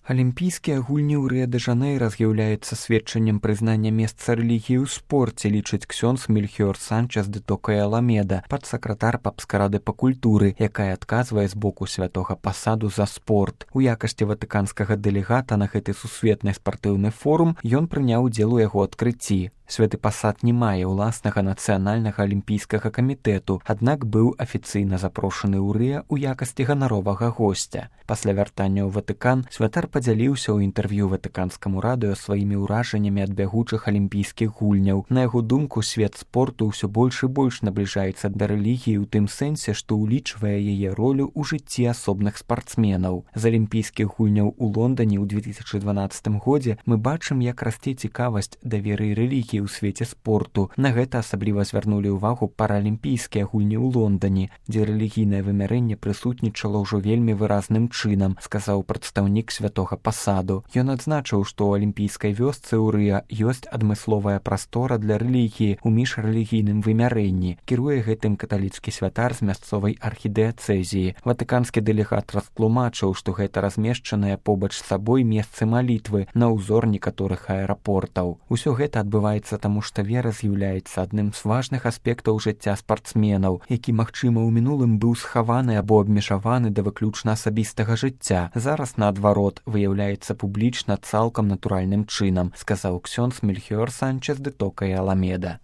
Алімпійскія гульні ў Рыа-дэ-Жанэйра з'яўляюцца сведчаннем прызнання месца рэлігіі ў спорце, лічыць ксёндз Мельхіор Санчес де Тока і Аламеда, падсакратар папскай рады па культуры, якая адказвае з боку святога пасаду за спорт. У якасці ватыканскага дэлегата на гэты сусветны спартыўны форум ён прыняў удзел у яго адкрыцці. Святы пасад не мае ўласнага нацыянальнага алімпійскага камітэту, аднак быў афіцыйна запрошаны ў Рыа ў якасці ганаровага госця. Пасля вяртання ў Ватыкан святар падзяліўся ў інтэрв'ю ватыканскаму радыё сваімі ўражаннямі ад бягучых алімпійскіх гульняў. На яго думку, свет спорту ўсё больш і больш набліжаецца да рэлігіі ў тым сэнсе, што ўлічвае яе ролю ў жыцці асобных спартсменаў. З алімпійскіх гульняў у Лондане ў 2012 годзе мы бачым, як расце цікавасць да веры і рэлігіі ў свеце спорту. На гэта асабліва звярнулі ўвагу паралімпійскія гульні ў Лондане, дзе рэлігійнае вымярэнне прысутнічала ўжо вельмі выразным чынам, сказаў прадстаўнік святога пасаду. Ён адзначыў, што ў алімпійскай вёсцы ў Рыа ёсць адмысловая прастора для рэлігіі ў міжрэлігійным вымярэнні. Кіруе гэтым каталіцкі святар з мясцовай архідыяцэзіі. Ватыканскі дэлегат растлумачыў, што гэта размешчаныя побач з сабой месцы малітвы на ўзор некаторых аэрапортаў. Усё гэта адбываецца таму, што вера з'яўляецца адным з важных аспектаў жыцця спартсменаў, які, магчыма, у мінулым быў схаваны або абмежаваны да выключна асабістага жыцця. Зараз, наадварот, выяўляецца публічна цалкам натуральным чынам, сказаў ксёндз Мельхіор Санчес де Тока і Аламеда.